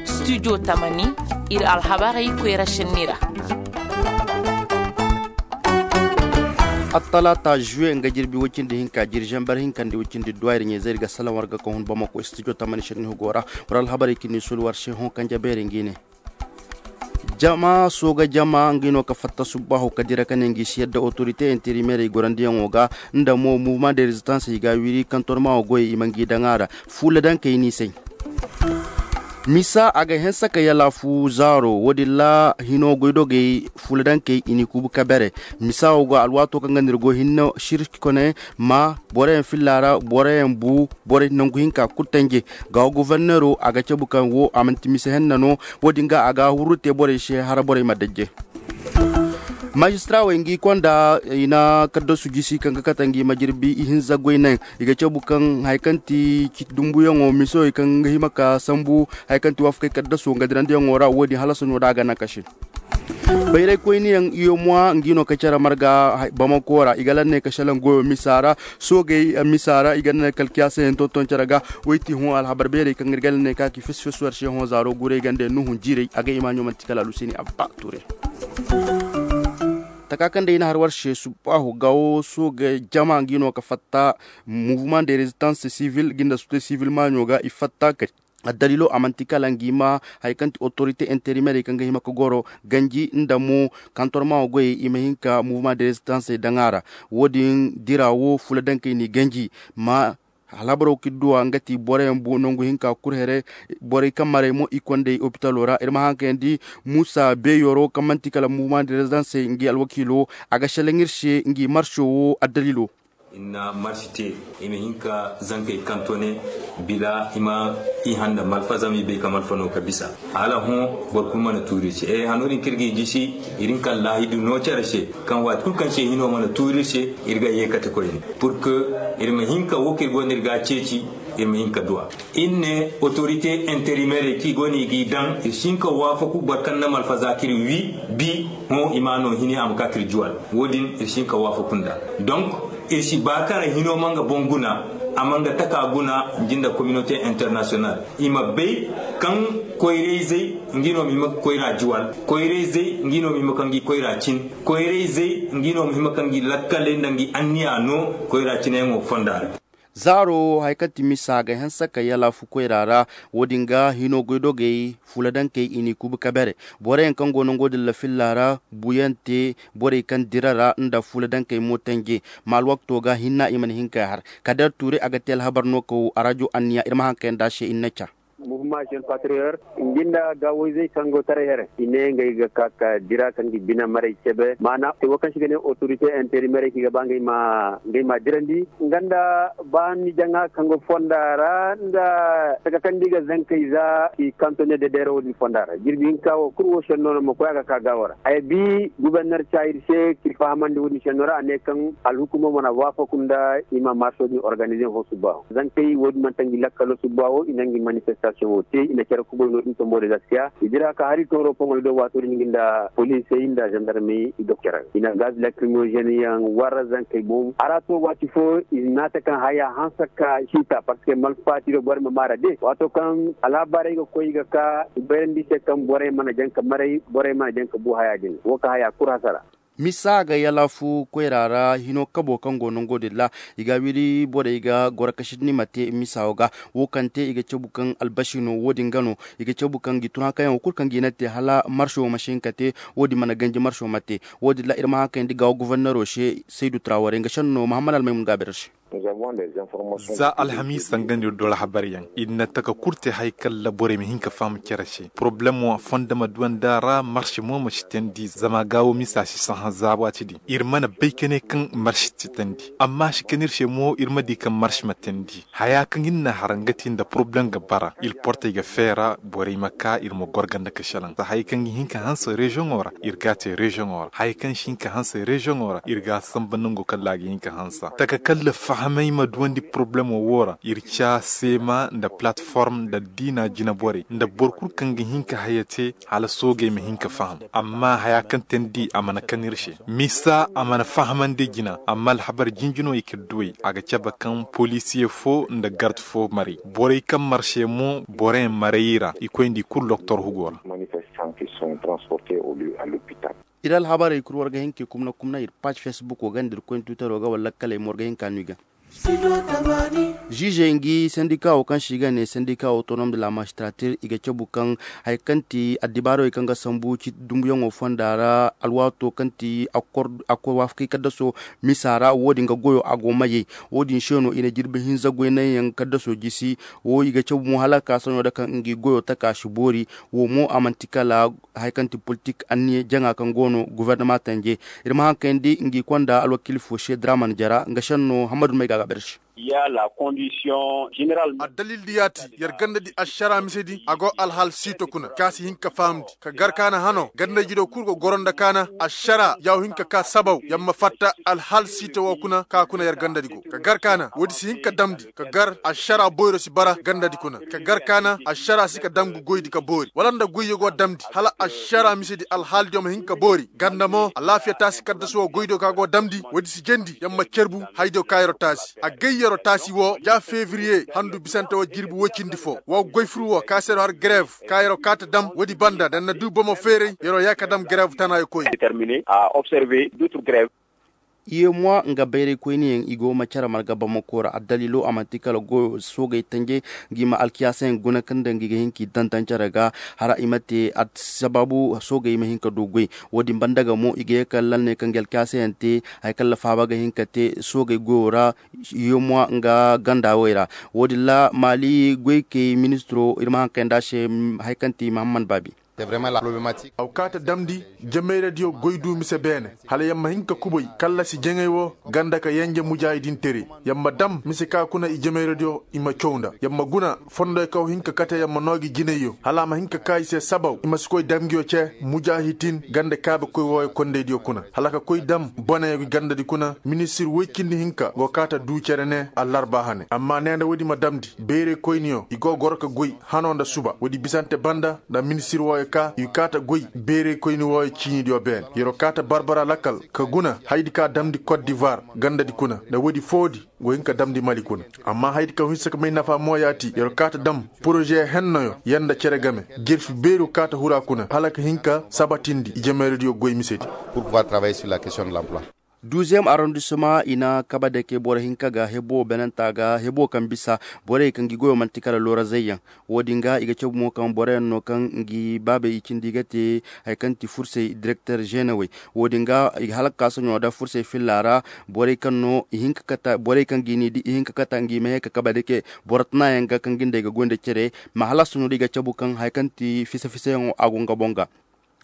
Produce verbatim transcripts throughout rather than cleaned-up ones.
Studio tamani, iri alhabarey koyra sinni ra. Attalaata juwe nga jirbi wacindi hinka jiri zambar hinka nda wacindi duwa iri ɲayzey iri ga salaŋ war ga ka hun bamako studio tamani sinni hugo ra. War alhabarey kini sulu war se hõ kanje beeri ngi ne. Jama sooga jama ngi no ka fatta subbahu ka dira ka ne ngi si yadda autorité intérimaire i gorandiyaŋo ga, nda mo mouvement de résistance i ga wiri kantorma wo goyey i ma ngi daŋ a ra. Fuula daŋ kay ni say. Misa a ga hensa ka yala fu zaaro wo- din ra hino goydogey fuula daŋ kay i ni kubu ka bere. Misa wo ga alwaato kaŋ ga nir go hinne sirki kone ma boroyaŋ filla ra boroyaŋ bu borey nangu hinka kulu tanje. Ga wo goforneero a ga cabu kaŋ wo a manti misa henna no. Wo- din ga a ga huru te borey se hara borey ma dajje. Majistarawey ngi konda i na kaddasu jisi kaŋ ga kate ngi ma jirbi ihinza goy naŋ. I ga cabu kaŋ hari kaŋ ti citi dumbuyaŋo miso i kaŋ ga hima ka sambu hari kaŋ ti waafakey kaddaso nga dirandiyaŋo ra wo- din hala soɲo da a ga naŋ ka se. Bayray koyniyaŋ iyo mwa ngi no ka care marga bamako ra i ga lanney ka salaŋ goyo misa ra. Soogey misa ra i ga lanney kala kiyaasa yaŋ tonton care ga. Woy ti hõ alhabar beerey kaŋ iri ga lanney ka ki fis fis war se hõ zaaro guray ganda yaŋ nuhun jiiray a ga imaɲo manti kala alusini abba ture. Taka kaŋ day i na har war se subbahu ga wo sooga jama ngi no ka fatta mouvement de résistance civile ginda sute civile maaɲo ga i fatta kay. Addaliilo a manti kala ngi ma hari kaŋ ti autorité intérimaire kaŋ ga hima ka goro ganji nda mo kantorma wo goyey i ma hin ka mouvement de résistance daŋ a ra. Wo- din dira wo fuula daŋ kay ni ganji ma alhabaro kaŋ iri duwa nga ti boroyaŋ bu nangu hinka kulu here. Borey kaŋ maray mo i kondey opitalo ra iri ma haŋ kayandi. Muusa beeyoro kaŋ manti kala mouvement de résistance ngi alwakiilo a ga selaŋ iri se ngi marso wo addaliilo. Iri na marsi te i ma hin ka zankey kantone bila i ma i handa malfa zama i bay ka malfa no ka bisa. Hala hõ boro kulu mana tuuri iri se e hano din kaŋ iri ga i jisi. Iri hin ka laahidu no care se kaŋ waati kulu kaŋ se hino mana tuuri iri se iri ga ye kate koyne. Pur que iri ma hin ka wo kaŋ iri go no iri ga a ceeci iri ma hin ka duwa. Iri ne autorité intérimaire kaŋ i go no i g'i daŋ iri si hin ka waafaku boro kaŋ na malfa za kaŋ iri wi bi hõ i ma a no hini a ma ka kaŋ iri juwal. Wo- din iri si hin ka waafaku nd'a. Donc iri si ba kaŋ ra hino ma nga boŋ guna a ma nga taka guna. Nda communauté international i ma bay kaŋ koyrayzey ngi no ma hima ga koyra juwal. Koyrayzey ngi no ma hima ka ngi koyra cin. Koyrayzey ngi no ma hima ka ngi lakkaley nda ngi anniya no koyra cinayaŋo fonda ra. Zaaro hari kaŋ ti misa ga hanse ka yala fu koyra ra. Wo- din ga hino goydogey fuula dankey i n'i kuubu ka bere. Boro yaŋ kaŋ go nango din lafilla ra buuyaŋ te borey kaŋ dira ra nda fuula dankey mo tanje. Ma alwakto ga hinna i mana hin ka har kader tuure a ga te alhabar no ka wo arajo anniya iri ma haŋ kayanda se i na ca. Mouvement jeune patriote ngi nda gaawayzey kaŋ go taray here i ne ngey ga ka ka dira ka ngi bine maray cebe maana wo kaŋ se i ga ne autorité intérimaire kaŋ i ga ba ngey ma dirandi nga nda ba ni jaŋa kaŋ go fonda ra nda taka kaŋ da i ga zankey za i kanto ne dedeera wo- din fonda ra jirbi hinka wo kulu wo senno no ma koy a ga ka gaawo ra haya bi guberner ca iri se kaŋ iri fahamandi wo- din senno ra a ne kaŋ alhukumo mana waafaku nda i ma marso din organize fo subba wo zankey wo- din manti ngi lakkalo subba wo i na ngi manifestation wo te i na care kubay no- din tombo de zaskiya i dira ka hari tooro poŋo do waato din ngi nda poliisey nda zandarmey i doktor i na gaz lacrimogene yaŋ warra zankey boŋ a ra to waati fo i naata kaŋ haya hanse ka ciita parce que malfaati do borey ma maara de waato kaŋ alhabaarey ga koy i ga ka i bayrandi i se kaŋ borey mana jaŋ ka maray borey mana jaŋ ka bu haya din wo ka haya kulu hasara. Misa ga yala fu koyra ra hino kabo kaŋ go nango din ra i ga wiri borey ga goro ka sinni ma te misa wo ga wo kaŋ te i ga cabu kaŋ albasi no wo- din ga no i ga cabu kaŋ ga i tun haŋ kaŋ yaŋ wo kulu kaŋ ga i na te hala marso ma si hin ka te. Wo- din mana ganji marso ma te wo- din ra iri ma haŋ kaŋ yaŋ da i ga wo gofornero se saydu traware nga senno mahammad almaymun ga a bere se. Za alhamiisa nga no iri dora habar yaŋ iri na taka kulu te hari kaŋ ra borey ma hin ka faham care se porobalemo fondo ma duwandi a ra marse mo ma si teendi zama gaawo misa si sahã za waati din iri mana bay ka ne kaŋ marse si teendi amma a si kan iri se mo iri ma di kaŋ marse ma teendi haya kaŋ iri na har nga te nda porobalem ga bara iri portey ga feera borey ma ka iri ma goro ganda ka selaŋ za hari kaŋ ga hin ka hanse reziyoŋo ra iri ga a te reziyoŋo ra hari kaŋ si hin ka hanse reziyoŋo ra iri ga a samba nango kaŋ ra a ga hin ka hanse taka kaŋ ra fahamay I ma duwandi porobalemo wo ra iri ca seema nda palatform nda diina jineborey nda boro kulu kaŋ ga hin ka haya te hala soogey ma hin ka faham. Amma haya kaŋ te ni di a mana kan iri se misa a mana fahamandi jina amma alhabar jinjino i ka duwey a ga cabe kaŋ poliisiye fo nda gard fo maray borey kaŋ marse mo boroyaŋ maray i ra i koy nda i kulu doktor hugo ra. Iri alhabarey kulu war ga hin ka i kumna kumna iri paac facebook wo ga nda iri koy ni tuutaro ga wala lakkaley mo war ga hin ka no i ga. Ziizey ngi sandika wo kaŋ se i ga ne sandika wo tonom de la magistratir i ga cabu kaŋ hari kaŋ ti addibaarey kaŋ ga sambu ciiti dumbuyaŋo fonda ra alwaato kaŋ ti akkoy waafakey kaddaso misa ra wo- din ga goyo a go mayey. Wo- din se no i na jirbi hinza goy naŋ yaŋ kaddaso jisi. Wo i ga cabu mo hala ka sohõ da kaŋ ngi goyo taka si boori. Wo mo a manti kala hari kaŋ ti politik anniya jaŋa kaŋ go no gubernama tanje. Iri ma haŋ kayandi ngi konda alwakiili fo se draman jara nga senno hammadu may ga ga berse. Addalil di ya ti yer ganda di ašara mise di a go alhaal siito kuna ka si hin ka fahamndi ka gar kaana hano ganda jido kulu go goro nda kaana ašara ya wo hin ka ka sabaw yer ma fatta alhaal siito wo kuna ka kuna yer ganda di go ka gar kaana wo- di si hin ka damndi ka gar ašara boyro si bara ganda di kuna ka gar kaana ašara si ka dam ga goy di ka boori wala nda goyyo go damndi hala ašara mise di alhaal diyo ma hin ka boori ganda mo alaafiya taasi kaddasu wo goy diyo ka go damndi wo- di si jendi yer ma cerbu haya diyo ka yer'o taasi a gay yer'o taasi wo ja febriye handu bisante wo jirbi woy cindi fo wo goy furu wo ka se yer'o har greev ka yer'o kaata dam wo- di banda da ni na du bomo feeray yer'o ya ka dam greev tanaayo koy. Iye mois nga bayray koyne yaŋ i go ma care marga bamako ra addaliilo a manti kala goyo soogey tanje ngi ma alkiyaasa yaŋ guna kaŋ daŋ ngi ga hin k'i dantan care ga. Hara i ma te a sabaabu soogey ma hin ka du goy. Wo- din banda ga mo i ga ye kala lanney kaŋ ga alkiyaasa yaŋ te hari kaŋ lafaaba ga hin ka te soogey goyo ra. Yomwa nga ganda wey ra. Wo- din ra maali goykey ministiro iri ma haŋ kayndi a se hari kaŋ ti mahamman baabi. Aw kaata damndi jamayradiyo goy du mise beene hala yer ma hin ka kubay kallasi jaŋay wo ganda ka yanje mujaahidin tere yer ma dam mise ka kuna i jamayradiyo i ma caw nda yer ma guna fondoy kaw hin ka kate yer ma noo gi jinayyo hala a ma hin ka ka i se sabaw i ma si koy dam nguyo ce mujaahitin ganda kaabe koy wooyo kondaydiyo kuna hala ka koy dam boneyo gi gandadi kuna ministir woy cindi hinka go kaata du cere ne allarba hane amma ne nda woodi ma damndi bayray koyniyo i go goro ka goy hano nda suba woodi bisante banda nda ministir wooyo ka i kaata goy bayray koyni wooyo ciinidiyo beene yer'o kaata barbara lakkal ka guna haydi ka damndi kot divar gandadi kuna nda woodi foodi go hin ka damndi mali kuna amma haydi ka hinsa ka may nafa mo ya ti yer'o kaata dam poroze hennoyo yanda cere game jirfi bayro kaata hura kuna hala ka hin ka sabatindi i jamayradiyo goy misedi. Duuziyeem arrondissement i na kabadeke boro hinka ga hebo benanta ga hebo kaŋ bisa borey kaŋ gi goyo manti kala loorazey yaŋ. Wo- din ga i ga cabu mo kaŋ boro yaŋ no kaŋ ngi baabey i cindi ga te hari kaŋ ti fursey direkter ženewey. Wo- din ga i ga halaka soɲo nda fursey filla ra borey kaŋ no i hinka kata borey kaŋ ga i ni di i hinka kata ngi ma ye ka kabadeke boro tana yaŋ ga kaŋ ga nda i ga goy nda cere. Ma hala soɲo da i ga cabu kaŋ hari kaŋ ti fisa fisayaŋo a go nga boŋ ga.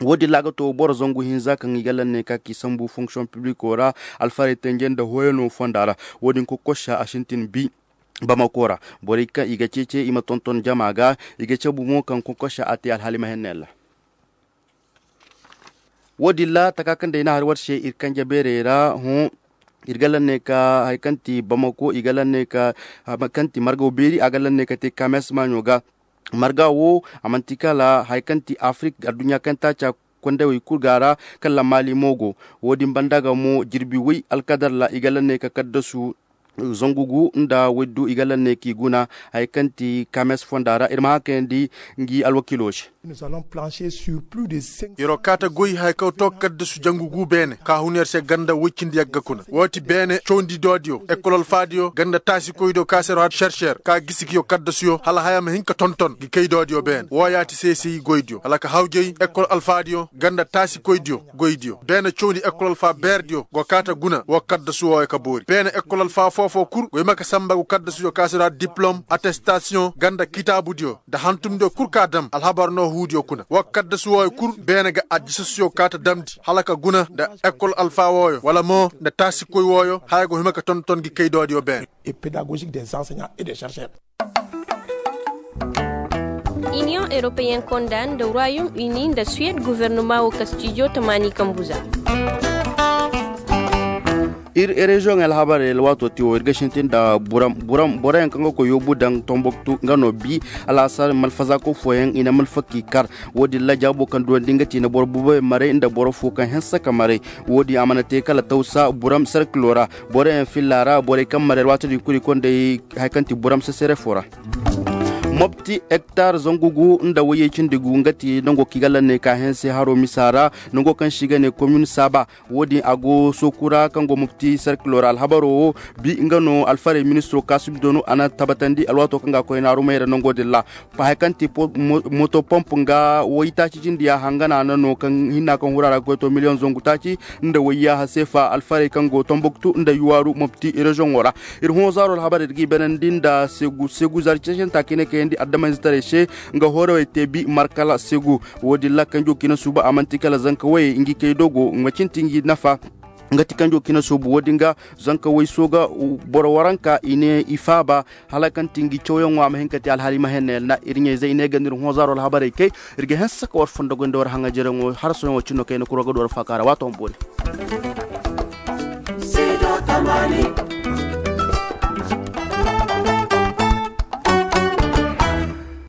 Wo- din ra a ga to boro zangu hinza kaŋ i ga lanne ka k'i sambu fonction publico ra alfarey tanje nda hoyano fonda ra. Wo- din kokosa a sintin bi bamako ra. Borey kaŋ i ga ceece i ma tonton jama ga i ga cabu mo kaŋ kokosa a te alhaali ma henne ra. Wo- din ra taka kaŋ day na hari war se iri kanje beerey ra hõ. Iri ga lanne ka hari kaŋ ti bamako i ga lanne ka hari kaŋ ti margaw beeri a ga lanne ka te kames maaɲo ga. Marga wo a manti kala hari kaŋ ti afirik adduɲɲa kaŋ taaca kondawey kulu ga ra. Kala maali mo go wo- din banda ga mo jirbi way alkadar ra i ga lanne ka kaddasu zangu gu nda waydu i ga lanne k'i guna. Hari kaŋ ti kames fonda ra iri ma haŋ kayandi ngi alwakiilo se. Yer'o kaata goy hari kaŋ to kaddasu jangu gu beene ka hun yer se ganda woy cindi yagga kuna wo ti beene cawndi doodiyo ekol alfaadiyo ganda taasikoydiyo ka se yer'o har serser ka gisi kiyo kaddasuyo hala haya ma hin ka tonton ga kay doodiyo beene wo ya ti seeseyi goydiyo hala ka hawjay ekol alfaadiyo ganda taasikoydiyo goydiyo beene cawndi ekol alfa beerdiyo go kaata guna wo kaddasu wooyo ka boori beene ekol alfa foo foo kul go hima ka samba go kaddasuyo ka se yer'o har diplom attestasiyoŋ ganda kitaabudiyo nda hantumdiyo kulu ka dam alhabar no huudiyo kuna wo kaddasu wooyo kulu beene ga addisasuyo kaata damndi hala ka guna nda ekol alfa wooyo wala mo nda taasikoy wooyo haya go hima ka tonton gi kaydoodiyo beene. Iniyoŋ europeen konda nda royaume uni nda suwed guvernama wo kastijo tamaani kambu za. Iri reziyoŋey alhabarey alwaato te wo iri ga sintin nda buram buram boroyaŋ kaŋ ga koy yoobu daŋ tomboktu nga no bi. Alaasar malfazaako fooyaŋ i na malfaki kar. Wo- din ra jaabo kaŋ duwandi nga ti na boro bubay maray nda boro fo kaŋ hanse ka maray. Wo- din a mana te kala tawsa buram sarkilo ra. Boroyaŋ filla ra borey kaŋ maray alwaati din kulu i konda hari kaŋ ti buram sesere fo ra. Mopti hektar zangu gu nda wayyey cindi gu nga ti nango kaŋ i ga lanne ka hanse haro misa ra. Nango kaŋ se i ga ne komin saaba. Wo- din a go sooku ra kaŋ go mopti sarkilo ra alhabaro wo. Bi nga no alfarey ministiro kaasum doonu a na tabbatandi alwaato kaŋ ga a koy naaru mayra nango din ra. Hari kaŋ ti moto pomp nga waytaaci jindiya hangana no kaŋ hinna kaŋ hura ra ga koy to miliyoŋ zangu taaci nda wayyaaha seefa alfarey kaŋ go tomboktu nda yuwaaru mopti reziyoŋo ra. Iri hõ zaaro alhabarey da ga i banandi nda seegu zaari ceecanta kaŋ i ne kayandi addamayzetaray se. Nga hoorawey te bi markala seegu. Wo- din ra kanjo kaŋ i na suuba a manti kala zanka wayey nga i kay dogo nga cindi ngi nafa. Nga ti kanjo kaŋ i na suubu wo- din ga zanka way sooga boro waranka i ne i faaba. Hala kaŋ ti ngi cawyaŋo a ma hin ka te alhaali ma henne yalna iri ɲayzey i ne ga nda iri hõ zaaro alhabarey kay. Iri ga hanse ka war fondo goy nda war haŋajereŋo harasoyaŋo cino kayna kuro ga du war faaka ra waato ma boori.